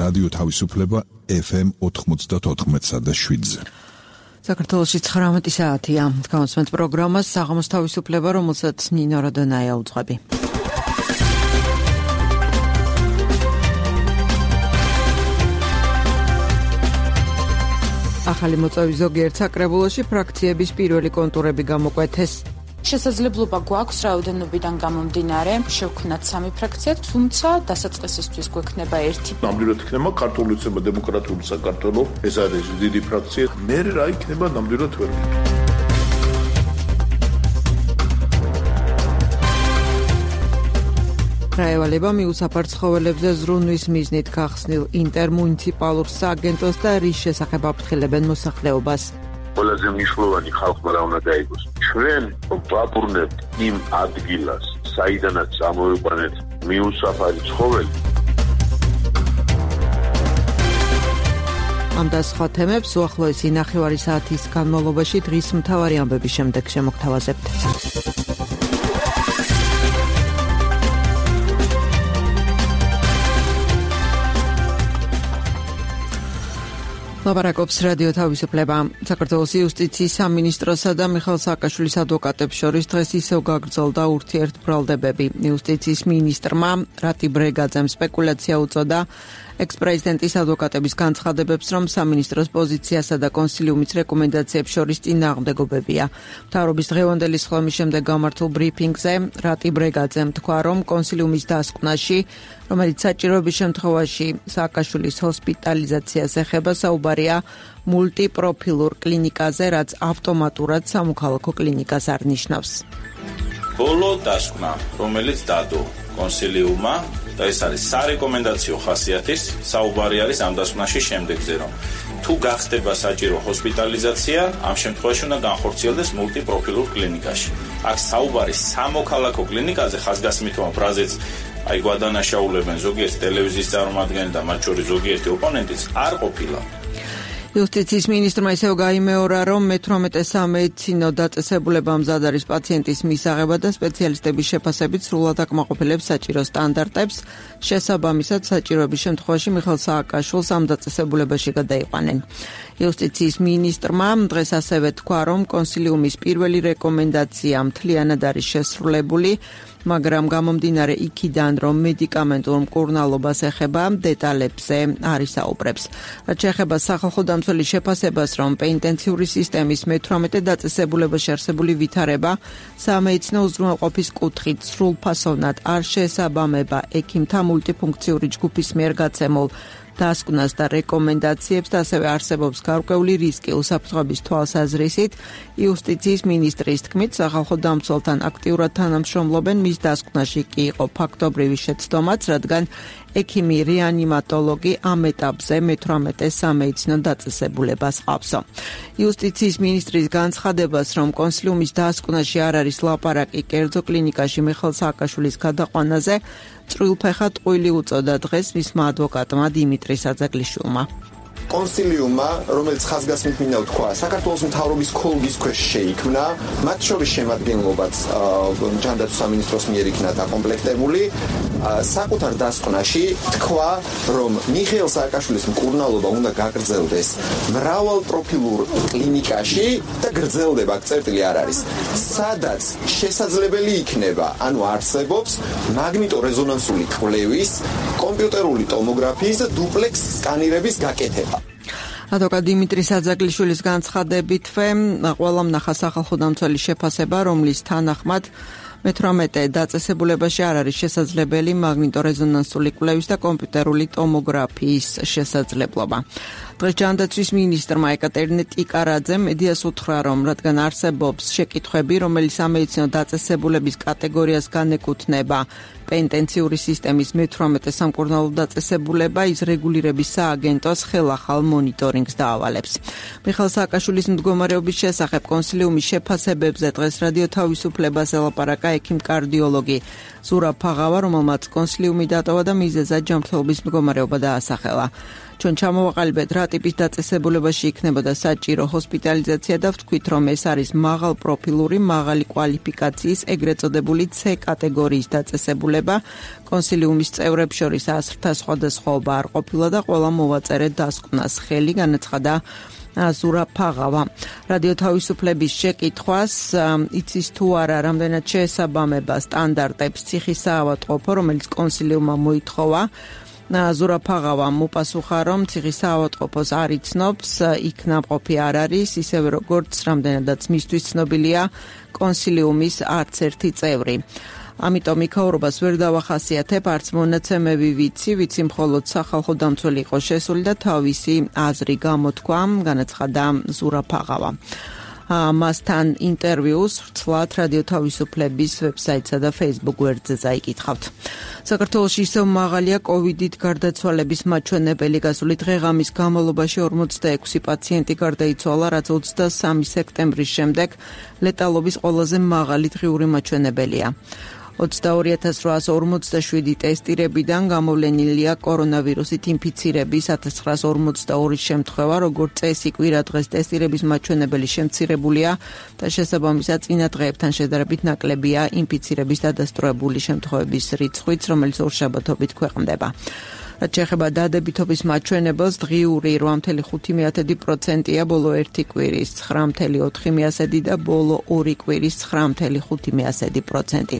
რადიო თავისუფლება FM 94.7-ზე. საქართველოში 19 საათია. Გამოსმენთ პროგრამას საღამოს თავისუფლება, რომელსაც ნინო როდონაია უძღვები. ახალი მოწვევის ზოგიერთ საკრებულოში ფრაქციების პირველი კონტურები გამოკვეთეს. შესაძლებლობა გვაქვს რაოდენობიდან გამომდინარე შევქმნათ 3 ფრაქცია, თუმცა დასაწყისისთვის გვექნება 1. ნამდვილად იქნება ქართული უცება დემოკრატიული საქართველო, ეს არის დიდი ფრაქცია. მე რა იქნება ნამდვილად ვერ ვიტყვი. რაევალება მიუსაფარ ცხოველებზე ზრუნვის მიზნით გახსნილ ინტერმუნიციპალურ სააგენტოს და რის შესახებ აფრთხილებენ მოსახლეობას. ყველაზე მნიშვნელოვანი ხალხმა რა უნდა დაიგოს. ჩვენ ვაბრუნებთ იმ ადგილას, საიდანაც ამოვიყვანეთ მიუსაფარი ცხოველი. ამ და სხვა თემებს უახლოესი 9 საათის განმავლობაში დღის მთავარი ამბების შემდეგ შემოგთავაზებთ. ლაპარაკობს რადიო თავისუფლება. საქართველოს იუსტიციის სამინისტროსა და მიხეილ სააკაშვილის ადვოკატებს შორის დღეს ისევ გაგრძელდა ურთიერთბრალდებები. იუსტიციის მინისტრმა რატი ბრეგაძემ სპეკულაცია უწოდა ექს-პრეზიდენტის ადვოკატების განცხადებებს, რომ სამინისტროს პოზიციასა და კონსილიუმის რეკომენდაციებს შორის წინააღმდეგობებია. მთავრობის დღევანდელი სხდომის შემდეგ გამართულ ბრიფინგზე რატი ბრეგაძემ თქვა, რომ კონსილიუმის დასკვნაში, რომელიც საჭიროების შემთხვევაში სააკაშვილის ჰოსპიტალიზაციას ეხება, საუბარია მულტიპროფილურ კლინიკაზე, რაც ავტომატურად სამოქალაქო კლინიკას არ ნიშნავს. ბოლო დასკვნა, რომელიც დადო კონსილიუმმა და ეს არის სარეკომენდაციო ხასიათის, საუბარი არის ამ დასკვნაში შემდეგზე, რომ თუ გახდება საჭირო ჰოსპიტალიზაცია, ამ შემთხვევაში უნდა განხორციელდეს მულტიპროფილურ კლინიკაში. აქ საუბარი სამოქალაქო კლინიკაზე ხაზგასმითმა ფრაზეც აი გვადანაშაულებენ ზოგიერთი ტელევიზიის წარმომადგენელი და მათ შორის ზოგიერთი ოპონენტიც არ ყოფილა. იუსტიციის მინისტრმა ისევ გაიმეორა, რომ მე-18 სამედიცინო დაწესებულება მზად არის პაციენტის მისაღებად და სპეციალისტების შეფასებით სრულად აკმაყოფილებს საჭირო სტანდარტებს. შესაბამისად, საჭიროების შემთხვევაში მიხეილ სააკაშვილს ამ დაწესებულებაში გადაიყვანენ. იუსტიციის მინისტრმა დღეს ასევე თქვა, რომ კონსილიუმის პირველი რეკომენდაცია მთლიანად არის შესრულებული, მაგრამ გამომდინარე იქიდან, რომ მედიკამენტურ მკურნალობას ეხება, დეტალებზე არ ისაუბრებს. რაც შეეხება სახალხო დამცველის შეფასებას, რომ პენიტენციური სისტემის მე-18 დაწესებულებაში არსებული ვითარება სამედიცინო უზრუნველყოფის კუთხით სრულფასოვნად არ შეესაბამება ექიმთა მულტიფუნქციური ჯგუფის მიერ გაცემულ დასკვნას და რეკომენდაციებს და ასევე არსებობს გარკვეული რისკი უსაფრთხოების თვალსაზრისით. იუსტიციის მინისტრის თქმით, სახალხო დამცველთან აქტიურად თანამშრომლობენ, მის დასკვნაში კი იყო ფაქტობრივი შეცდომაც, რადგან ექიმი რეანიმატოლოგი ამ ეტაპზე მე-18 სამედიცინო დაწესებულებას ყავსო. იუსტიციის მინისტრის განცხადებას, რომ კონსილიუმის დასკვნაში არ არის ლაპარაკი კერძო კლინიკაში მიხეილ სააკაშვილის გადაყვანაზე, წვრილფეხა ტყუილი უწოდა დღეს მისმა ადვოკატმა დიმიტრი საძაგლიშვილმა. კონსილიუმმა, რომელიც ხაზგასმით მინდა ვთქვა, საქართველოს მთავრობის ქოლგის ქვეშ შეიქმნა, მათ შორის შემადგენლობაც ჯანდაცვის სამინისტროს მიერ იქნა დაკომპლექტებული. საკუთარ დასკვნაში თქვა, რომ მიხეილ სააკაშვილის მკურნალობა უნდა გაგრძელდეს მრავალპროფილურ კლინიკაში და გრძელდება, წერტილი არ არის. სადაც შესაძლებელი იქნება, ანუ არსებობს მაგნიტორეზონანსული კვლევის, კომპიუტერული ტომოგრაფიის და დუპლექს სკანირების გაკეთება. ადვოკატ დიმიტრი საძაგლიშვილის განცხადებით, ყველამ ნახა სახალხო დამცველის შეფასება, რომლის თანახმად მე-18 დაწესებულებაში არ არის შესაძლებელი მაგნიტორეზონანსული კვლევის და კომპიუტერული ტომოგრაფიის შესაძლებლობა. დღეს ჯანდაცვის მინისტრმა ეკატერინე ტიკარაძემ მედიას უთხრა, რომ რადგან არსებობს შეკითხვები, რომელიც სამედიცინო დაწესებულების კატეგორიას განეკუთვნება პენიტენციური სისტემის მე-18 სამკურნალო დაწესებულება, ის რეგულირების სააგენტოს ხელახალ მონიტორინგს დაავალებს. მიხეილ სააკაშვილის მდგომარეობის შესახებ კონსილიუმის შეფასებებზე დღეს რადიო თავისუფლებას ელაპარაკა ექიმ-კარდიოლოგი ზურაბ ფაღავა, რომელმაც კონსილიუმი დატოვა და მიზეზად ჯანმრთელობის მდგომარეობა დაასახელა. ჩვენ ჩამოვაყალიბეთ რა ტიპის დაწესებულებაში იქნებოდა საჭირო ჰოსპიტალიზაცია და ვთქვით, რომ ეს არის მაღალ პროფილური, მაღალი კვალიფიკაციის, ეგრეთ წოდებული C კატეგორიის დაწესებულება. კონსილიუმის წევრებს შორის ასრთა სხვადასხვაობა არ ყოფილა და ყველა მოვაწერეთ დასკვნას ხელი, განაცხადა ზურა ფაღავა. რადიო თავისუფლების შეკითხვას იცის თუ არა, რამდენად შეესაბამება სტანდარტებს ციხის საავადმყოფო, რომელიც კონსილიუმმა მოითხოვა. ზურა ფაღავამ უპასუხა, რომ ციხის საავადმყოფოს არ იცნობს, იქ ნამყოფი არ არის, ისევე როგორც რამდენადაც მისთვის ცნობილია კონსილიუმის არც ერთი წევრი. ამიტომ იქაურობას ვერ დავახასიათებ, არც მონაცემები ვიცი მხოლოდ სახალხო დამცველი იყო შესული და თავისი აზრი გამოთქვა, განაცხადა ზურა ფაღავა. მასთან ინტერვიუს ვრცლად რადიო თავისუფლების ვებსაიტსა და Facebook გვერდზე წაიკითხავთ. საქართველოში ისევ მაღალია COVID-ით გარდაცვალების მაჩვენებელი. გასული დღე-ღამის განმავლობაში 46 პაციენტი გარდაიცვალა, რაც 23 სექტემბრის შემდეგ ლეტალობის ყველაზე მაღალი დღიური მაჩვენებელია. 22,847 ტესტირებიდან გამოვლენილია კორონავირუსით ინფიცირების 1942 შემთხვევა, როგორც წესი კვირა დღეს ტესტირების მაჩვენებელი შემცირებულია და შესაბამისად წინა დღეებთან შედარებით ნაკლებია ინფიცირების დადასტურებული შემთხვევების რიცხვიც, რომელიც ორშაბათობით ქვეყნდება. რაც შეეხება დადებითობის მაჩვენებელს, დღიური 8,5%-ია, ბოლო 1 კვირის 9,4% და ბოლო 2 კვირის 9,5%.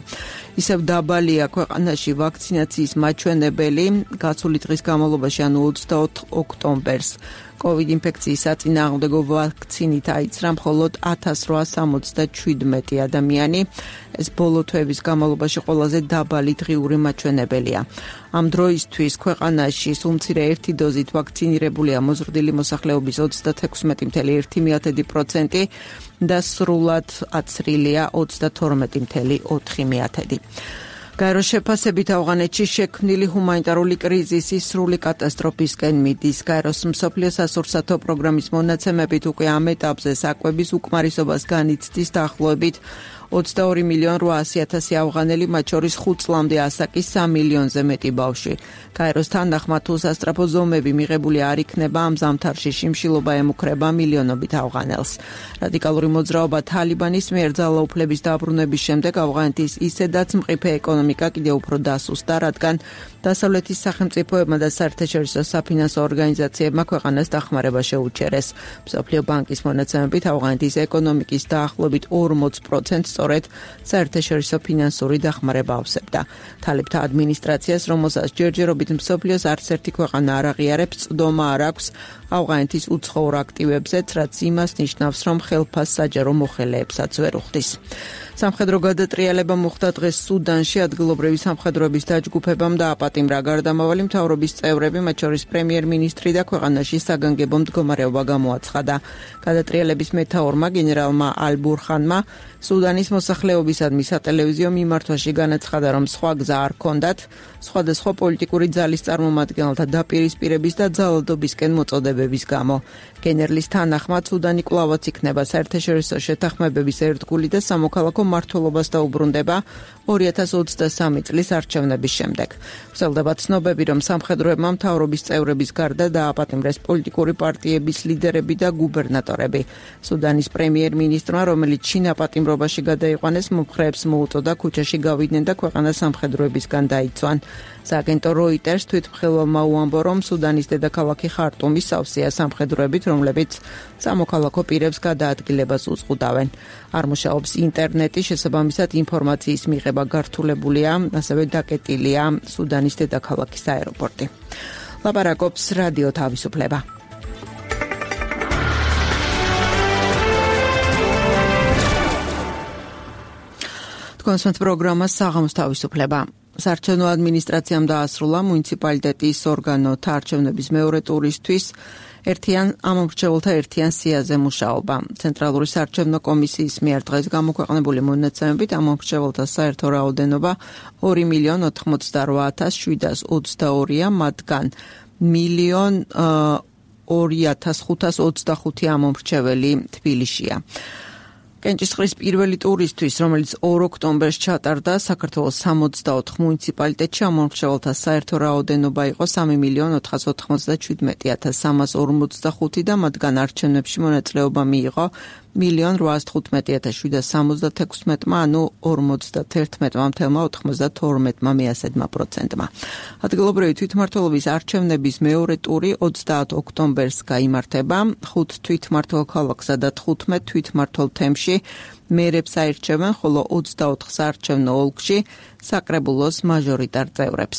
ისევ დაბალია ქვეყანაში ვაქცინაციის მაჩვენებელი. გასული დღის განმავლობაში, ანუ 24 ოქტომბერს, COVID ინფექციის საწინააღმდეგო ვაქცინით აიცრა მხოლოდ 1877 ადამიანი. ეს ბოლო თვეების განმავლობაში ყველაზე დაბალი დღიური მაჩვენებელია. ამ დროისთვის ქვეყანაში სულ მცირე ერთი დოზით ვაქცინირებულია მოზრდილი მოსახლეობის 36,1% და სრულად აცრილია 32,4%. გაეროს შეფასებით ავღანეთში შექმნილი ჰუმანიტარული კრიზისი სრული კატასტროფისკენ მიდის. გაეროს მსოფლიო სასურსათო პროგრამის მონაცემებით უკვე ამ ეტაპზე საკვების უკმარისობას განიცდის დაახლოებით 22,800,000 ავღანელი, მათ შორის 5 წლამდე ასაკის 3 მილიონზე მეტი ბავშვი. გაეროს თანახმად, თუ სასწრაფო ზომები მიღებული არ იქნება, ამ ზამთარში შიმშილობა ემუქრება მილიონობით ავღანელს. რადიკალური მოძრაობა თალიბანის მიერ ძალაუფლების დაბრუნების შემდეგ ავღანეთის ისედაც მყიფე ეკონომიკა კიდევ უფრო დასუსტდა, რადგან დასავლეთის სახელმწიფოებმა და საერთაშორისო საფინანსო ორგანიზაციებმა ქვეყანას დახმარება შეუჩერეს. მსოფლიო ბანკის მონაცემებით ავღანეთის ეკონომიკის დაახლოებით 40% სწორედ საერთაშორისო ფინანსური დახმარება ავსებდა. თალებთა ადმინისტრაციას, რომელსაც ჯერჯერობით მსოფლიოს არც ერთი ქვეყანა არ აღიარებს, წვდომა არ აქვს ავღანეთის უცხოურ აქტივებზეც, რაც იმას ნიშნავს, რომ ხელფას საჯარო მოხელეებსაც ვერ უხდის. სამხედრო გადატრიალება მოხდა დღეს სუდანში. ადგილობრივი სამხედროების დაჯგუფებამ დააპატიმრა გარდამავალი მთავრობის წევრები, მათ შორის პრემიერ-მინისტრი და ქვეყანაში საგანგებო მდგომარეობა გამოაცხადა. გადატრიალების მეთაურმა გენერალმა ალ-ბურხანმა სუდანის მოსახლეობისადმი სატელევიზიო მიმართვაში განაცხადა, რომ სხვა გზა არ ჰქონდათ სხვადასხვა პოლიტიკური ძალის წარმომადგენელთა დაპირისპირების და ძალადობისკენ მოწოდებების გამო. გენერლის თანახმად, სუდანი კვლავაც იქნება საერთაშორისო შეთანხმებების ერთგული და სამოქალაქო მმართველობას დაუბრუნდება 2023 წლის არჩევნების შემდეგ. ვრცელდება ცნობები, რომ სამხედროებმა მთავრობის წევრების გარდა დააპატიმრეს პოლიტიკური პარტიების ლიდერები და გუბერნატორები. სუდანის პრემიერ-მინისტრმა, რომელიც შინაპატიმრობაში გადაიყვანეს, მომხრეებს მოუწოდა ქუჩაში გავიდნენ და ქვეყანა სამხედროებისგან დაიცვან. სააგენტო როიტერს თვითმხილველმა უამბო, რომ სუდანის დედაქალაქი ხარტუმი სავსეა სამხედროებით, რომლებიც სამოქალაქო პირებს გადაადგილებას უზღუდავენ. არ მუშაობს ინტერნეტი, შესაბამისად ინფორმაციის მიღება გართულებულია, ასევე დაკეტილია სუდანის დედაქალაქის აეროპორტი. ლაპარაკობს რადიო თავისუფლება. კონსულტ პროგრამა საღამოს თავისუფლება. საარჩევნო ადმინისტრაციამ დაასრულა მუნიციპალიტეტის ორგანოთა არჩევნების მეორე ტურისთვის ამომრჩეველთა ერთიან სიაზე მუშაობა. ცენტრალური საარჩევნო კომისიის მიერ დღეს გამოქვეყნებული მონაცემებით ამომრჩეველთა საერთო რაოდენობა 2,88,722-ია, მათგან 1,02,525 ამომრჩეველი თბილისშია. კენჭისყრის პირველი ტურისთვის, რომელიც 2 ოქტომბერს ჩატარდა, საქართველოს 64 მუნიციპალიტეტში ამომრჩეველთა საერთო რაოდენობა იყო 3.497.345 და მათგან არჩევნებში მონაწილეობა მიიღო 1.815.776-მა, ანუ 51,92%-მა. ადგილობრივი თვითმმართველობის არჩევნების მეორე ტური 30 ოქტომბერს გაიმართება. 5 თვითმმართველ ქალაქსა და 15 თვითმმართველ თემში მერებს აირჩევენ, ხოლო 24 საარჩევნო ოლქში საკრებულოს მაჟორიტარ წევრებს.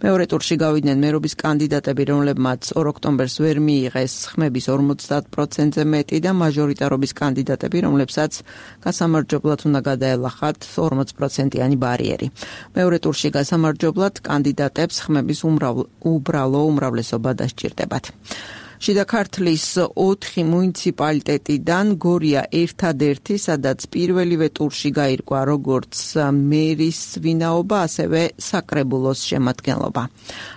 მეორე ტურში გავიდნენ მერობის კანდიდატები, რომლებმაც 2 ოქტომბერს ვერ მიიღეს ხმების 50%-ზე მეტი და მაჟორიტარობის კანდიდატები, რომლებსაც გასამარჯობლად უნდა გადაელახათ 40%-იანი ბარიერი. მეორე ტურში გასამარჯობლად კანდიდატებს ხმების უბრალო უმრავლესობა დასჭირდებათ. შიდა ქართლის 4 მუნიციპალიტეტიდან გორია ერთადერთი, სადაც პირველივე ტურში გაირკვა როგორც მერის ვინაობა, ასევე საკრებულოს შემადგენლობა.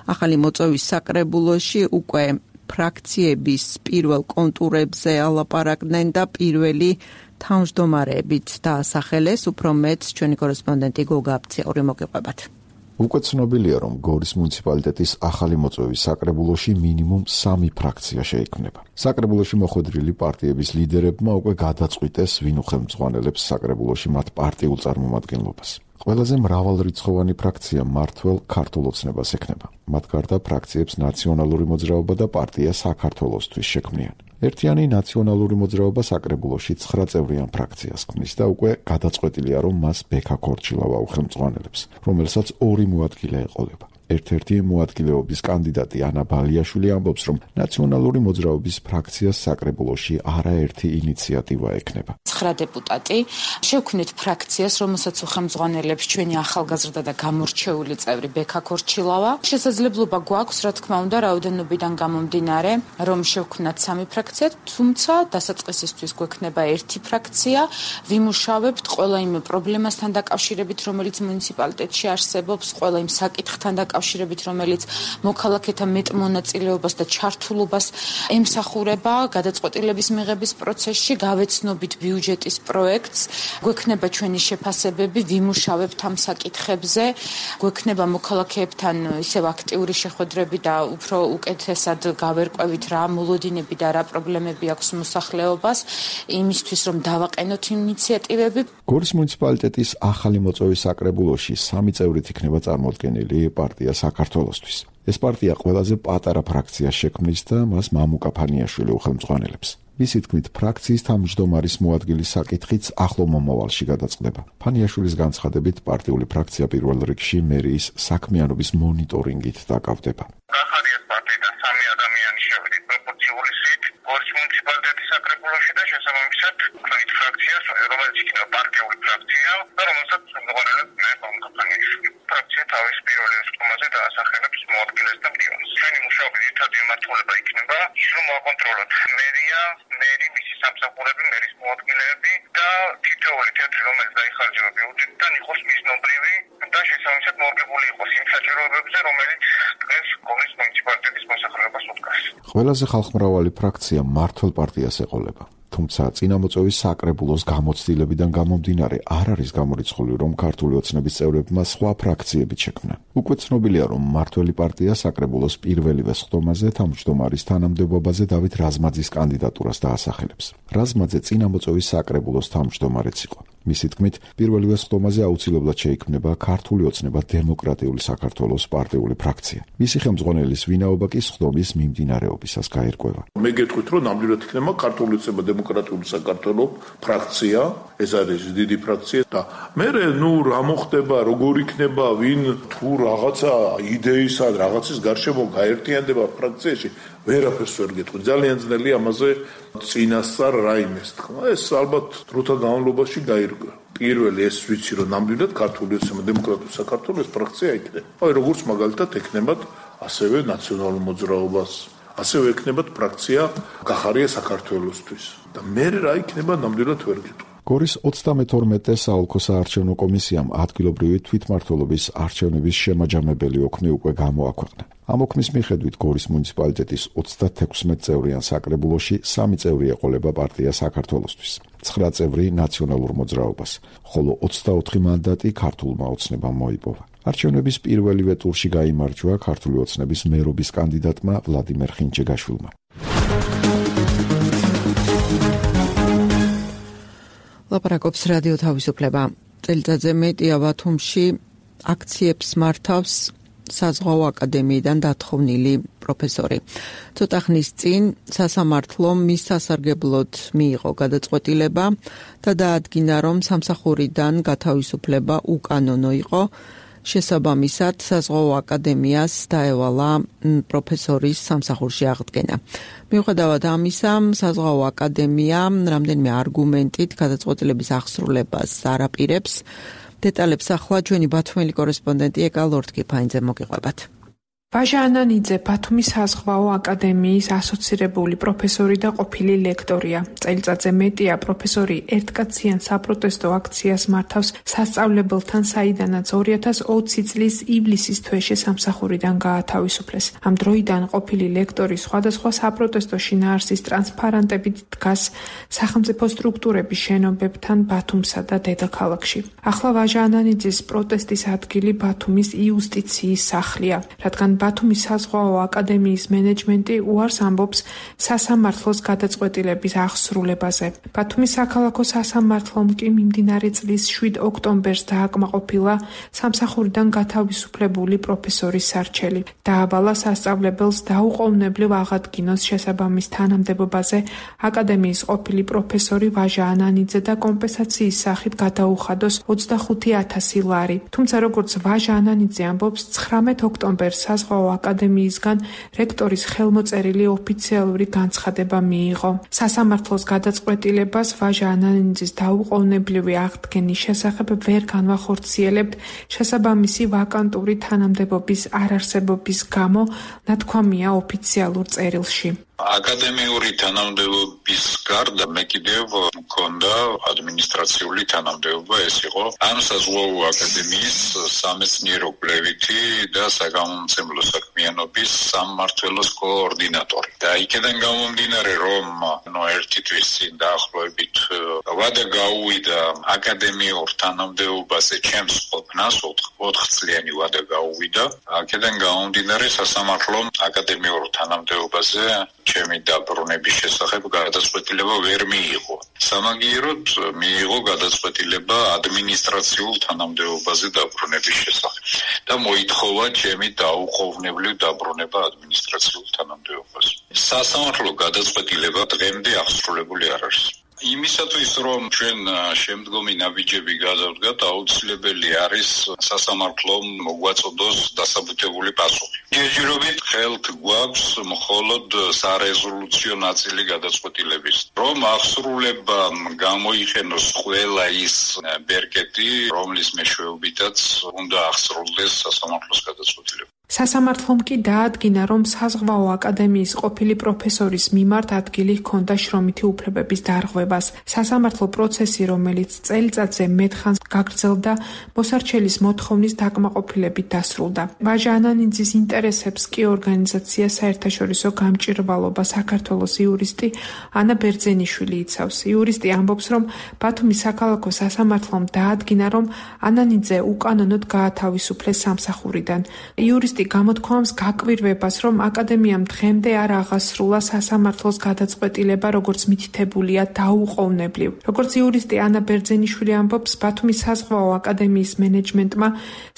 ახალი მოწვევის საკრებულოში უკვე ფრაქციების პირველ კონტურებზე ალაპარაკდნენ და პირველი თავმჯდომარეებით დაასახელეს. უფრო მეტს ჩვენი კორესპონდენტი გოგა აფციური მოგეყვებათ. უკვე ცნობილია, რომ გორის მუნიციპალიტეტის ახალი მოწვევის საკრებულოში მინიმუმ 3 ფრაქცია შეიქმნება. საკრებულოში მოხვედრილი პარტიების ლიდერებმა უკვე გადაწყვიტეს, ვინ უხელმძღვანელებს საკრებულოში მათ პარტიულ წარმომადგენლობას. ყველაზე მრავალრიცხოვანი ფრაქცია მმართველ ქართულ ოცნებას ექნება. მათ გარდა ფრაქციებს ნაციონალური მოძრაობა და პარტია საქართველოსთვის შექმნიან. ერთიანი ნაციონალური მოძრაობა საკრებულოში 9 წევრიან ფრაქციას ქმნის და უკვე გადაწყვეტილია, რომ მას ბექა ქორჩილავა უხელმძღვანელებს, რომელსაც 2 მოადგილე ეყოლება. ერთ-ერთი მოადგილეობის კანდიდატი ანა ბალიაშვილი ამბობს, რომ ნაციონალური მოძრაობის ფრაქციას საკრებულოში არაერთი ინიციატივა ექნება. 9 დეპუტატი შევქმნით ფრაქციას, რომელსაც უხელმძღვანელებს ჩვენი ახალგაზრდა და გამორჩეული წევრი ბექა ქორჩილავა. შესაძლებლობა გვაქვს, რა თქმა უნდა, რაოდენობიდან გამომდინარე, რომ შევქმნათ 3 ფრაქცია, თუმცა დასაწყისისთვის გვექნება 1 ფრაქცია. ვიმუშავებთ ყველა იმ პრობლემასთან დაკავშირებით, რომელიც მუნიციპალიტეტში არსებობს, ყველა იმ საკითხთან დაკავშირებით, რომელიც მოქალაქეთა მეტ მონაწილეობას და ჩართულობას ემსახურება გადაწყვეტილების მიღების პროცესში. გავეცნობით ბიუჯეტის პროექტს, გვექნება ჩვენი შეფასებები, ვიმუშავებთ ამ საკითხებზე, გვექნება მოქალაქეებთან ისევ აქტიური შეხვედრები და უფრო უკეთესად გავერკვევით რა მოლოდინები და რა პრობლემები აქვს მოსახლეობას, იმისთვის რომ დავაყენოთ ინიციატივები. გორის მუნიციპალიტეტის ახალი მოწვევის საკრებულოში 3 წევრით იქნება წარმოდგენილი პარტია საქართველოსთვის. ეს პარტია ყველაზე პატარა ფრაქციას შექმნის და მას მამუკა ფანიაშვილი უხელმძღვანელებს. მისი თქმით, ფრაქციის თავმჯდომარის მოადგილის საკითხიც ახლო მომავალში გადაწყდება. ფანიაშვილის განცხადებით, პარტიული ფრაქცია პირველ რიგში მერიის საქმიანობის მონიტორინგით დაკავდება. ახალია პარტიიდან 3 ადამიანი შევიდით პროპორციული სით გორის მუნიციპალიტეტის საკრებულოში და შესაბამისად თქვით ფრაქციას, რომელიც იქნება პარტიული ფრაქცია და რომელსაც უღონელებს მე მამუკა ფანიაშვილი. ფრაქცია თავის პირველ რიგში დაასახელებს მოადგილეს და მდივანს. ჩვენი მუშაობის ერთადი მმართველობა იქნება ის, რომ მოვაკონტროლოთ მერია, მერი, მისი სამსახურები, მერის მოადგილეები და თითოეული თეთრი, რომელიც დაიხარჯება ბიუჯეტიდან, იყოს მიზნობრივი და შესაბამისად მორგებული იყოს იმ საჭიროებებზე, რომელიც დღეს გორის მუნიციპალიტეტის მოსახლეობას უდგას. ყველაზე ხალხმრავალი ფრაქცია მმართველ პარტიას ეყოლება. თუმცა წინამოწვევის საკრებულოს გამოცდილებიდან გამომდინარე არ არის გამორიცხული, რომ ქართული ოცნების წევრებმა სხვა ფრაქციებით შექმნან. უკვე ცნობილია, რომ მმართველი პარტია საკრებულოს პირველივე სხდომაზე თავმჯდომარის თანამდებობაზე დავით რაზმაძის კანდიდატურას დაასახელებს. რაზმაძე წინამოწვევის საკრებულოს თავმჯდომარეც იყო. მისი თქმით, პირველივე სხდომაზე აუცილებლად შეიქმნება ქართული ოცნება დემოკრატიული საქართველოს პარტიული ფრაქცია. მისი ხელმძღვანელის ვინაობა კი სხდომის მიმდინარეობისას გაირკვევა. მე გეტყვით, რომ ნამდვილად იქნება ქართული ოცნება დემოკრატიული საქართველოს ფრაქცია, ეს არის დიდი ფრაქცია და მე რა მოხდება, როგორ იქნება, ვინ თუ რაღაცა იდეისა, რაღაცის გარშემო გაერთიანდება ფრაქციაში, ვერაფერს ვერ გეტყვი. ძალიან ძნელია ამაზე წინასწარ რაიმეს თქვა. ეს ალბათ დროთა განმავლობაში გაირკვევა. პირველი ეს ვიცი, რომ ნამდვილად ქართული ოცნება დემოკრატიული საქართველოს ფრაქცია იქნება. აი როგორც მაგალითად ექნებათ ასევე ნაციონალურ მოძრაობას, ასევე ექნებათ ფრაქცია გახარია საქართველოსთვის. და მე რა იქნება ნამდვილად ვერ გეტყვი. გორის 32 საოლქო საარჩევნო კომისიამ ადგილობრივი თვითმმართველობის არჩევნების შემაჯამებელი ოქმი უკვე გამოაქვეყნა. ამ ოქმის მიხედვით გორის მუნიციპალიტეტის 36 წევრიან საკრებულოში 3 წევრი ეყოლება პარტია საქართველოსთვის, 9 წევრი ნაციონალურ მოძრაობას, ხოლო 24 მანდატი ქართულმა ოცნებამ მოიპოვა. არჩევნების პირველივე ტურში გაიმარჯვა ქართული ოცნების მერობის კანდიდატმა ვლადიმერ ხინჩეგაშვილმა. ლაპარაკობს რადიო თავისუფლება. წელიწადზე მეტია ბათუმში აქციებს მართავს საზღვაო აკადემიიდან დათხოვნილი პროფესორი. ცოტა ხნის წინ სასამართლომ მის სასარგებლოდ მიიღო გადაწყვეტილება და დაადგინა, რომ სამსახურიდან გათავისუფლება უკანონო იყო. შესაბამისად, საზღვაო აკადემიას დაევალა პროფესორის სამსახურში აღდგენა. მიუხედავად ამისა, საზღვაო აკადემია რამდენიმე არგუმენტით გადაწყვეტილების აღსრულებას არ აპირებს. დეტალებს ახლა ჩვენი ბათუმელი კორესპონდენტი ეკა ლორდ-კიფაინძე მოგიყვებათ. ვაჟა ანანიძე ბათუმის საზღვაო აკადემიის ასოცირებული პროფესორი და ყოფილი ლექტორია. წელიწადზე მეტია პროფესორი ერთკაციან საპროტესტო აქციას მართავს სასწავლებელთან, საიდანაც 2020 წლის ივლისის თვეში სამსახურიდან გაათავისუფლეს. ამ დროიდან ყოფილი ლექტორი სხვადასხვა საპროტესტო შინაარსის ტრანსპარანტებით დგას სახელმწიფო სტრუქტურების შენობებთან ბათუმსა და დედაქალაქში. ახლა ვაჟა ანანიძის პროტესტის ადგილი ბათუმის იუსტიციის სახლია, რადგან ბათუმის საზღვაო აკადემიის მენეჯმენტი უარს ამბობს სასამართლოს გადაწყვეტილების აღსრულებაზე. ბათუმის საქალაქო სასამართლომ კი მიმდინარე წლის 7 ოქტომბერს დააკმაყოფილა სამსახურიდან გათავისუფლებული პროფესორის სარჩელი. დაავალა სასწავლებელს დაუყოვნებლივ აღადგინოს შესაბამის თანამდებობაზე აკადემიის ყოფილი პროფესორი ვაჟა ანანიძე და კომპენსაციის სახით გადაუხადოს 25,000 ლარი. თუმცა როგორც ვაჟა ანანიძე ამბობს, 19 ოქტომბერს საზღვაო აკადემიისგან რექტორის ხელმოწერილი ოფიციალური განცხადება მიიღო. სასამართლოს გადაწყვეტილებას ვაჟა ანანიძის დაუყოვნებლივი აღდგენის შესახებ ვერ განვახორციელებთ შესაბამისი ვაკანტური თანამდებობის არარსებობის გამო, ნათქვამია ოფიციალურ წერილში. აკადემიური თანამდებობის გარდა მე კიდევ მქონდა ადმინისტრაციული თანამდებობა, ეს იყო ამ საზღვაო აკადემიის სამეცნიერო კვლევითი და საგამომცემლო საქმიანობის სამმართველოს კოორდინატორი. და იქიდან გამომდინარე, რომ ერთი თვის წინ დაახლოებით ვადა გაუვიდა აკადემიურ თანამდებობაზე ჩემს ყოფნას, 4 წლიანი ვადა გაუვიდა. აქედან გამომდინარე, სასამართლომ აკადემიურ თანამდებობაზე ჩემი დაბრუნების შესახებ გადაწყვეტილება ვერ მიიღო. სამაგიეროდ მიიღო გადაწყვეტილება ადმინისტრაციულ თანამდებობაზე დაბრუნების შესახებ და მოითხოვა ჩემი დაუყოვნებლივ დაბრუნება ადმინისტრაციულ თანამდებობაზე. სასამართლო გადაწყვეტილება დღემდე აღსრულებული არ არის. იმისათვის, რომ ჩვენ შემდგომი ნაბიჯები გადავდგათ, აუცილებელი არის სასამართლომ მოგვაწოდოს დასაბუთებული პასუხი. ჯერჯერობით ხელთ გვაქვს მხოლოდ სარეზოლუციო ნაწილი გადაწყვეტილების, რომ აღსრულება გამოიყენოს ყველა ის ბერკეტი, რომლის მეშვეობითაც უნდა აღსრულდეს სასამართლოს გადაწყვეტილება. სასამართლომ კი დაადგინა, რომ საზღვაო აკადემიის ყოფილი პროფესორის მიმართ ადგილი ჰქონდა შრომითი უფლებების დარღვევას. სასამართლო პროცესი, რომელიც წელიწადზე მეტხანს გაგრძელდა, მოსარჩელის მოთხოვნის დაკმაყოფილებით დასრულდა. ვაჟა ანანიძის ინტერესებს კი ორგანიზაცია საერთაშორისო გამჭირვალობა საქართველოს იურისტი ანა ბერძენიშვილი იცავს. იურისტი ამბობს, რომ ბათუმის საქალაქო სასამართლომ დაადგინა, რომ ანანიძე უკანონოდ გაათავისუფლეს სამსახურიდან. იურისტი გამოთქვამს გაკვირვებას, რომ აკადემიამ დღემდე არ აღასრულა სასამართლოს გადაწყვეტილება, როგორც მითითებულია დაუყოვნებლივ. როგორც იურისტი ანა ბერძენიშვილი ამბობს, ბათუმის საზღვაო აკადემიის მენეჯმენტმა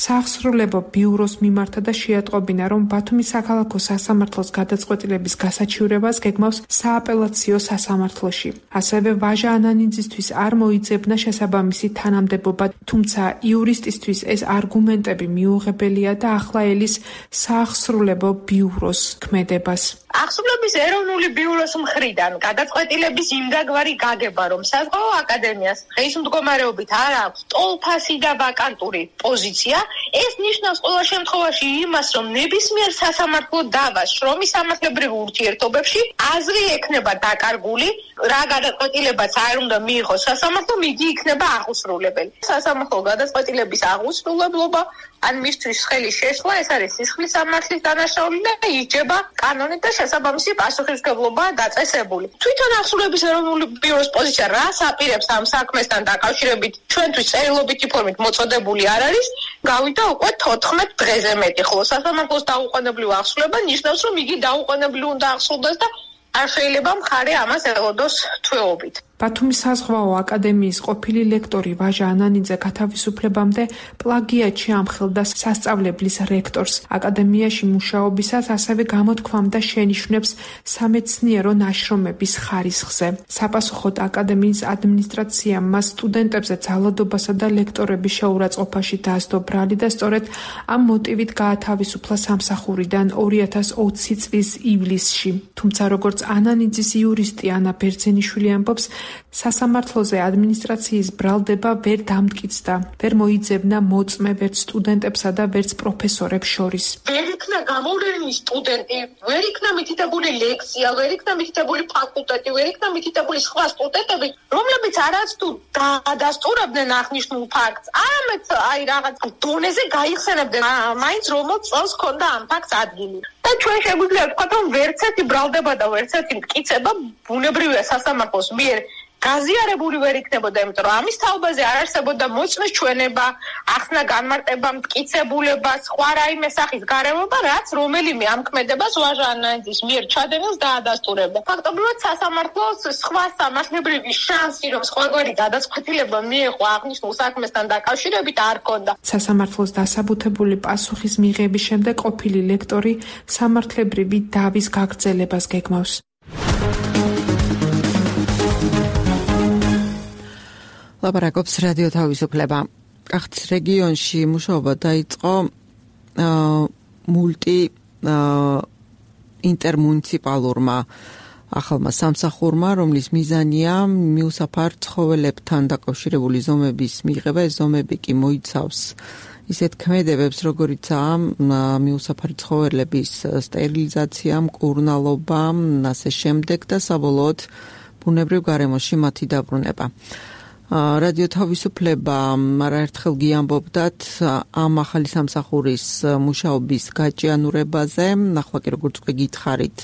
საახსრულებო ბიუროს მიმართა და შეატყობინა, რომ ბათუმის საქალაქო სასამართლოს გადაწყვეტილების გასაჩივრებას გეგმავს სააპელაციო სასამართლოში. ასევე ვაჟა ანანიძისთვის არ მოიძებნა შესაბამისი თანამდებობა, თუმცა იურისტისთვის ეს არგუმენტები მიუღებელია და ახლა ელის საახსრულებო ბიუროს ქმედებას. აღსრულების ეროვნული ბიუროს მხრიდან გადაწყვეტილების იმდაგვარი გაგება, რომ საზღვაო აკადემიას დღის მდგომარეობით არ აქვს ტოლფასი და ვაკანტური პოზიცია, ეს ნიშნავს ყოველ შემთხვევაში იმას, რომ ნებისმიერ სასამართლო დავას შრომის სამართლებრივ ურთიერთობებში აზრი ექნება დაკარგული, რა გადაწყვეტილებაც არ უნდა მიიღოს სასამართლომ, იგი იქნება აღუსრულებელი. სასამართლო გადაწყვეტილების აღუსრულებლობა ან მისთვის ხელი შეშლა, ეს არის სისხლის სამართლის დანაშაული და იჯება კანონით და შესაბამისი პასუხისმგებლობაა დაწესებული. თვითონ ახსულების ეროვნული ბიუროს პოზიცია რას აპირებს ამ საქმესთან დაკავშირებით ჩვენთვის წერილობითი ფორმით მოწოდებული არ არის, გავიდა უკვე 14 დღეზე მეტი, ხოლო სასამართლოს დაუყოვნებლივ ახსულება ნიშნავს, რომ იგი დაუყოვნებლივ უნდა ახსულდეს და არ შეიძლება მხარე ამას ელოდოს თვეობით. ბათუმის საზღვაო აკადემიის ყოფილი ლექტორი ვაჟა ანანიძე გათავისუფლებამდე პლაგიატში ამხელდა სასწავლებლის რექტორს. აკადემიაში მუშაობისას ასევე გამოთქვამდა შენიშვნებს სამეცნიერო ნაშრომების ხარისხზე. საპასუხოდ აკადემიის ადმინისტრაციამ მას სტუდენტებზე ძალადობასა და ლექტორების შეურაცხყოფაში დასდო ბრალი და სწორედ ამ მოტივით გაათავისუფლა სამსახურიდან 2020 წლის ივლისში. თუმცა როგორც ანანიძის იურისტი ანა ბერძენიშვილი ამბობს, სასამართლოზე ადმინისტრაციის ბრალდება ვერ დამტკიცდა, ვერ მოიძებნა მოწმე ვერც სტუდენტებსა და ვერც პროფესორებს შორის. ვერ იქნა გამოვლენილი სტუდენტი, ვერ იქნა მითითებული ლექსია, ვერ იქნა მითითებული ფაკულტეტი, ვერ იქნა მითითებული სხვა სტუდენტები, რომლებიც არაც თუ დაადასტურებდნენ აღნიშნულ ფაქტს, არამედ აი რაღაც დონეზე გაიხსენებდნენ, მაინც რომელ წელს ჰქონდა ამ ფაქტს ადგილი. და ჩვენ შეგვიძლია ვთქვათ, რომ ვერც ერთი ბრალდება და ვერც ერთი მტკიცება ბუნებრივია სასამართლოს მიერ გაზიარებული ვერ იქნებოდა, იმიტომ რომ ამის თაობაზე არ არსებობდა მოწმის ჩვენება, ახსნა განმარტება, მტკიცებულება, სხვა რაიმე სახის გარემოება, რაც რომელიმე ამ ქმედებას ვაჟა ანანიძის მიერ ჩადენილს დაადასტურებდა. ფაქტობრივად სასამართლოს სხვა სამართლებრივი შანსი, რომ სხვაგვარი გადაწყვეტილება მიეღო აღნიშნულ საქმესთან დაკავშირებით არ ჰქონდა. სასამართლოს დასაბუთებული პასუხის მიღების შემდეგ ყოფილი ლექტორი სამართლებრივი დავის გაგრძელებას გეგმავს. ლაპარაკობს რადიო თავისუფლება. კახეთის რეგიონში მუშაობა დაიწყო ინტერმუნიციპალურმა ახალმა სამსახურმა, რომლის მიზანია მიუსაფარ ცხოველებთან დაკავშირებული ზომების მიღება. ეს ზომები კი მოიცავს ისეთ ქმედებებს, როგორიცაა მიუსაფარი ცხოველების სტერილიზაცია, მკურნალობა, ასე შემდეგ და საბოლოოდ ბუნებრივ გარემოში მათი დაბრუნება. რადიო თავისუფლება არაერთხელ გიამბობდათ ამ ახალი სამსახურის მუშაობის გაჭიანურებაზე. ახლა კი როგორც უკვე გითხარით,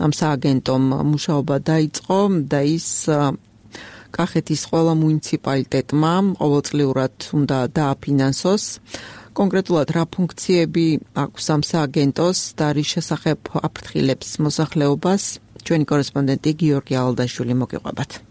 ამ სააგენტომ მუშაობა დაიწყო და ის კახეთის ყველა მუნიციპალიტეტმა ყოველწლიურად უნდა დააფინანსოს. კონკრეტულად რა ფუნქციები აქვს ამ სააგენტოს და რის შესახებ აფრთხილებს მოსახლეობას, ჩვენი კორესპონდენტი გიორგი ალდაშვილი მოგიყვებათ.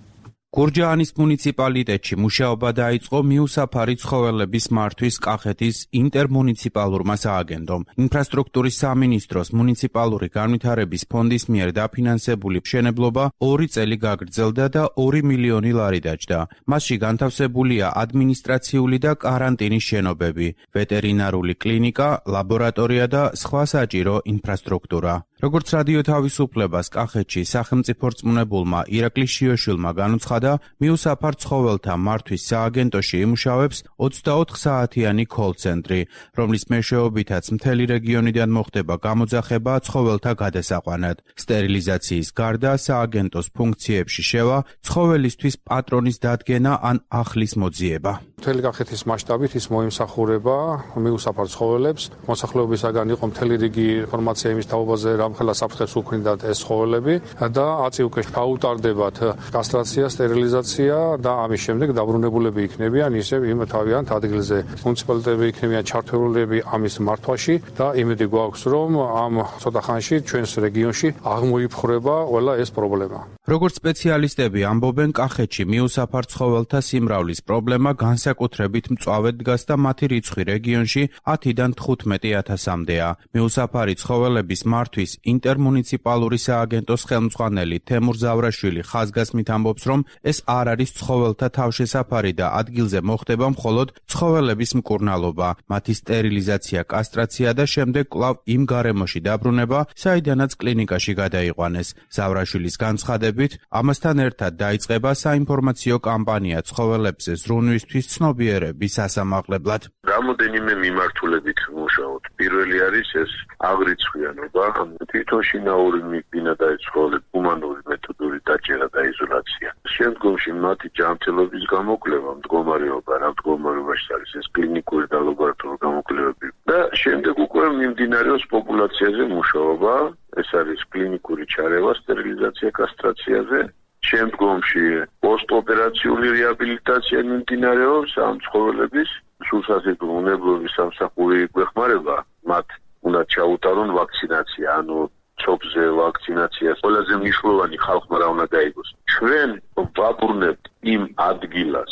გურჯაანის მუნიციპალიტეტში მუშაობა დაიწყო მიუსაფარი ცხოველების მართვის კახეთის ინტერმუნიციპალურმა სააგენტომ. ინფრასტრუქტურის სამინისტროს მუნიციპალური განვითარების ფონდის მიერ დაფინანსებული მშენებლობა 2 წელი გაგრძელდა და 2 მილიონი ლარი დაჯდა. მასში განთავსებულია ადმინისტრაციული და კარანტინის შენობები, ვეტერინარული კლინიკა, ლაბორატორია და სხვა საჭირო ინფრასტრუქტურა. როგორც რადიო თავისუფლებას კახეთში სახელმწიფო რწმუნებულმა ირაკლი შიოშვილმა განუცხადა, მიუსაფარ ცხოველთა მართვის სააგენტოში იმუშავებს 24 საათიანი კოლ-ცენტრი, რომლის მეშვეობითაც მთელი რეგიონიდან მოხდება გამოძახება ცხოველთა გადასაყვანად. სტერილიზაციის გარდა სააგენტოს ფუნქციებში შევა ცხოველისთვის პატრონის დადგენა ან ახლის მოძიება. მთელი კახეთის მასშტაბით ის მოიმსახურება მიუსაფარ ცხოველებს. მოსახლეობისაგან იყო მთელი რიგი ინფორმაცია იმის თაობაზე, რამხელა საფრთხეს უქმნიდათ ეს ცხოველები და აწივკე გაუტარდებათ კასტრაცია, სტერილიზაცია და ამის შემდეგ დაბრუნებულები იქნებიან ისევ იმ თავიანთ ადგილზე. მუნიციპალიტეტები იქნებიან ჩართულები ამის მართვაში და იმედი გვაქვს, რომ ამ ცოტა ხანში ჩვენს რეგიონში აღმოიფხვრება ყველა ეს პრობლემა. როგორც სპეციალისტები ამბობენ, კახეთში მიუსაფარ ცხოველთა სიმრავლის პრობლემა განსაკუთრებით მწვავედ დგას და მათი რიცხვი რეგიონში 10-დან 15,000-მდეა. მიუსაფარი ცხოველების მართვის ინტერმუნიციპალური სააგენტოს ხელმძღვანელი თემურ ზავრაშვილი ხაზგასმით ამბობს, რომ ეს არ არის ცხოველთა თავშესაფარი და ადგილზე მოხდება მხოლოდ ცხოველების მკურნალობა, მათი სტერილიზაცია, კასტრაცია და შემდეგ კვლავ იმ გარემოში დაბრუნება, საიდანაც კლინიკაში გადაიყვანეს. ზავრაშვილის განცხადებით, ამასთან ერთად დაიწყება საინფორმაციო კამპანია ცხოველებზე ზრუნვისთვის ცნობიერების ასამაღლებლად. რამოდენიმე მიმართულებით მუშაობთ. პირველი არის ეს აღრიცხვიანობა, თვითონ შინაური მიბინა და ეცხოველები ჰუმანური მეთოდური დაჭერა და იზოლაცია. შემდგომში მათი ჯანმრთელობის გამოკვლევა, მდგომარეობა, რა მდგომარეობაში არის ეს კლინიკური და ლაბორატორიული გამოკვლევები და შემდეგ უკვე მიმდინარეობს პოპულაციაზე მუშაობა, ეს არის კლინიკური ჩარევა, სტერილიზაცია, კასტრაციაზე. შემდგომში პოსტოპერაციული რეაბილიტაცია მიმდინარეობს ამ ცხოველების სულსაზეთო უნებლობის სამსახური გვეხმარება, მათ უნდა ჩაუტარონ ვაქცინაცია, ანუ ცოფზე ვაქცინაცია ყველაზე მნიშვნელოვანი ხალხმა რა უნდა გაიგოს. ჩვენ ვაბრუნებთ იმ ადგილას,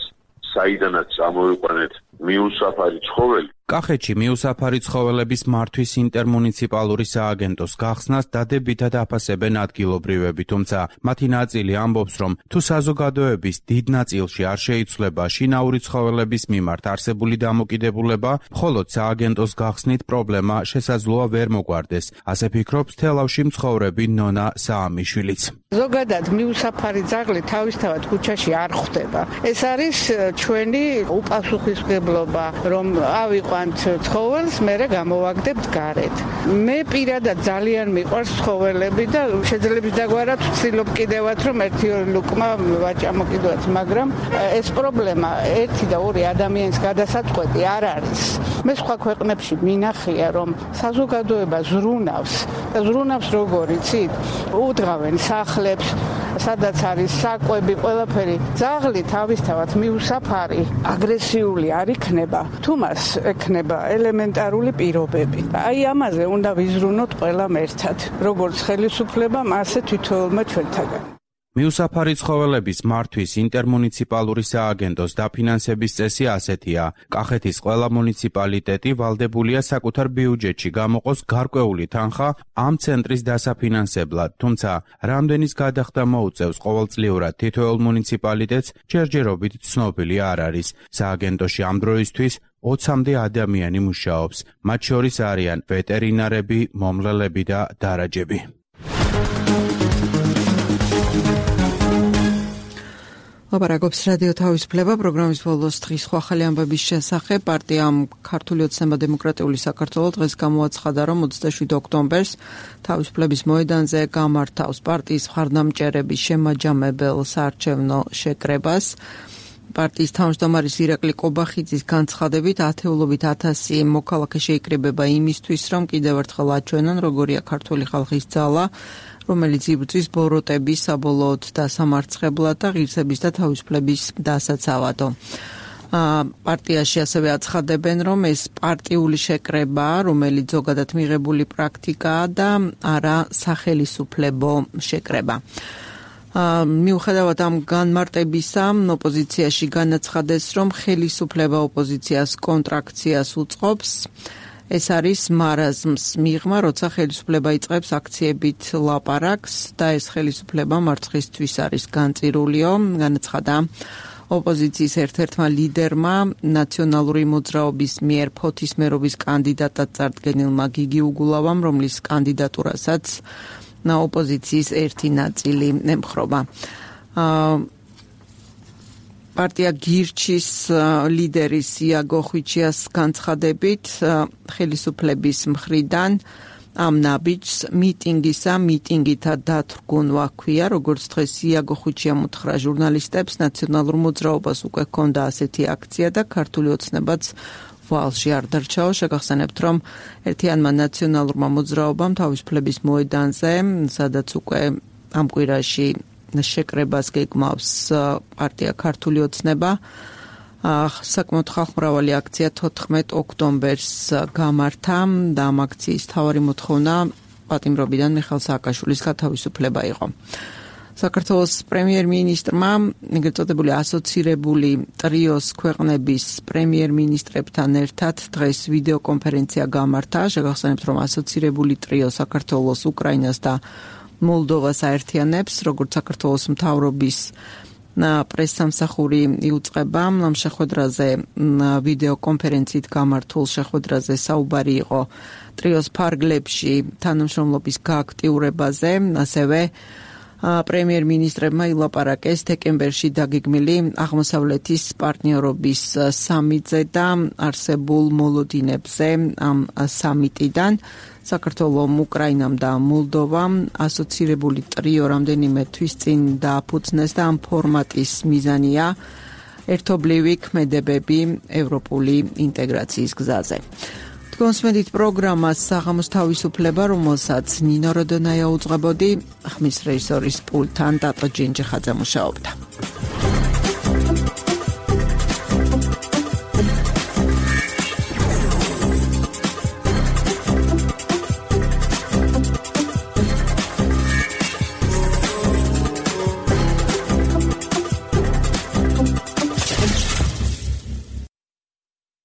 საიდანაც ამოვიყვანეთ მიუსაფარი ცხოველი. კახეთში მიუსაფარი ცხოველების მართვის ინტერმუნიციპალური სააგენტოს გახსნას დადებითად აფასებენ ადგილობრივები, თუმცა მათი ნაწილი ამბობს, რომ თუ საზოგადოების დიდ ნაწილში არ შეიცვლება შინაური ცხოველების მიმართ არსებული დამოკიდებულება, მხოლოდ სააგენტოს გახსნით პრობლემა შესაძლოა ვერ მოგვარდეს. ასე ფიქრობს თელავში მცხოვრები ნონა საამიშვილიც. ზოგადად მიუსაფარი ძაღლი თავისთავად ქუჩაში არ ხვდება. ეს არის ჩვენი უპასუხისმგებლობა, რომ ავიყვანთ ცხოველს, მერე გამოვაგდებთ გარეთ. მე პირადად ძალიან მიყვარს ცხოველები და შეძლებს დაგვარად ვცდილობ კიდევაც, რომ ერთი-ორი ლუკმა ვაჭამო კიდევაც, მაგრამ ეს პრობლემა ერთი და ორი ადამიანის გადასაწყვეტი არ არის. მე სხვა ქვეყნებში მინახია, რომ საზოგადოება ზრუნავს და ზრუნავს როგორ იცით? უდღავენ სახლებს, სადაც არის საკვები, ყველაფერი. ძაღლი თავისთავად მიუსაფარი, აგრესიული არ იქნება, თუ მას ექნება ელემენტარული პირობები. აი ამაზე უნდა ვიზრუნოთ ყველამ ერთად, როგორც ხელისუფლებამ, ასე თითოეულმა ჩვენთაგან. მიუსაფარი ცხოველების მართვის ინტერმუნიციპალური სააგენტოს დაფინანსების წესი ასეთია. კახეთის ყველა მუნიციპალიტეტი ვალდებულია საკუთარ ბიუჯეტში გამოყოს გარკვეული თანხა ამ ცენტრის დასაფინანსებლად, თუმცა რამდენის გადახდა მოუწევს ყოველწლიურად თითოეულ მუნიციპალიტეტს ჯერჯერობით ცნობილი არ არის. სააგენტოში ამ დროისთვის 20-მდე ადამიანი მუშაობს, მათ შორის არიან ვეტერინარები, მომლელები და დარაჯები. ლაპარაკობს რადიო თავისუფლება პროგრამის ბოლოს დღის ახალი ამბების შესახებ. პარტიამ ქართული ოცნება დემოკრატიული საქართველო დღეს გამოაცხადა, რომ 27 ოქტომბერს თავისუფლების მოედანზე გამართავს პარტიის მხარდამჭერების შემაჯამებელ საარჩევნო შეკრებას. პარტიის თავმჯდომარის ირაკლი კობახიძის განცხადებით, ათეულობით 1000 მოქალაქე შეიკრიბება იმისთვის, რომ კიდევ ერთხელ აჩვენონ, როგორია ქართული ხალხის ძალა, რომელიც იბრძვის ბოროტების საბოლოოდ დასამარცხებლად და ღირსების და თავისუფლების დასაცავად. პარტიაში ასევე აცხადებენ, რომ ეს პარტიული შეკრება, რომელიც ზოგადად მიღებული პრაქტიკაა და არა სახელისუფლებო შეკრება. მიუხედავად ამ განმარტებისა, ოპოზიციაში განაცხადეს, რომ ხელისუფლება ოპოზიციას კონტრაქციას უწყობს. ეს არის მარაზმს მიღმა, როცა ხელისუფლება იწყებს აქციებით ლაპარაკს და ეს ხელისუფლება მარცხისთვის არის განწირულიო, განაცხადა ოპოზიციის ერთ-ერთმა ლიდერმა ნაციონალური მოძრაობის მიერ ფოთის მერობის კანდიდატად წარდგენილმა გიგი უგულავამ, რომლის კანდიდატურასაც ოპოზიციის ერთი ნაწილი ემხრობა. პარტია გირჩის ლიდერის იაგო ხვიჩიას განცხადებით, ხელისუფლების მხრიდან ამ ნაბიჯს მიტინგითა დათრგუნვა ჰქვია, როგორც დღეს იაგო ხვიჩიამ უთხრა ჟურნალისტებს, ნაციონალურ მოძრაობას უკვე ჰქონდა ასეთი აქცია და ქართული ოცნებაც ვალში არ დარჩაო. შეგახსენებთ, რომ ერთიანმა ნაციონალურმა მოძრაობამ თავისუფლების მოედანზე, სადაც უკვე ამ კვირაში შეკრებას გეგმავს პარტია ქართული ოცნება, საკმაოდ ხალხმრავალი აქცია 14 ოქტომბერს გამართა და ამ აქციის მთავარი მოთხოვნა პატიმრობიდან მიხეილ სააკაშვილის გათავისუფლება იყო. საქართველოს პრემიერ-მინისტრმა ეგრეთ წოდებული ასოცირებული ტრიოს ქვეყნების პრემიერ-მინისტრებთან ერთად დღეს ვიდეო კონფერენცია გამართა. შეგახსენებთ, რომ ასოცირებული ტრიო საქართველოს, უკრაინას და მოლდოვას აერთიანებს, როგორც საქართველოს მთავრობის პრესსამსახური იუწყება. ამ შეხვედრაზე ვიდეო კონფერენციით გამართულ შეხვედრაზე საუბარი იყო ტრიოს ფარგლებში თანამშრომლობის გააქტიურებაზე, ასევე პრემიერ-მინისტრებმა ილაპარაკეს დეკემბერში დაგეგმილი აღმოსავლეთის პარტნიორობის სამიტზე და არსებულ მოლოდინებზე ამ სამიტიდან. საქართველომ, უკრაინამ და მოლდოვამ ასოცირებული ტრიო რამდენიმე თვის წინ დააფუძნეს და ამ ფორმატის მიზანია ერთობლივი ქმედებები ევროპული ინტეგრაციის გზაზე. თქვენსმენით პროგრამას საღამოს თავისუფლება, რომელსაც ნინო როდონაია უძღვებოდი, ხმის რეჟისორის პულტთან დატო ჯინჯიხაძე მუშაობდა.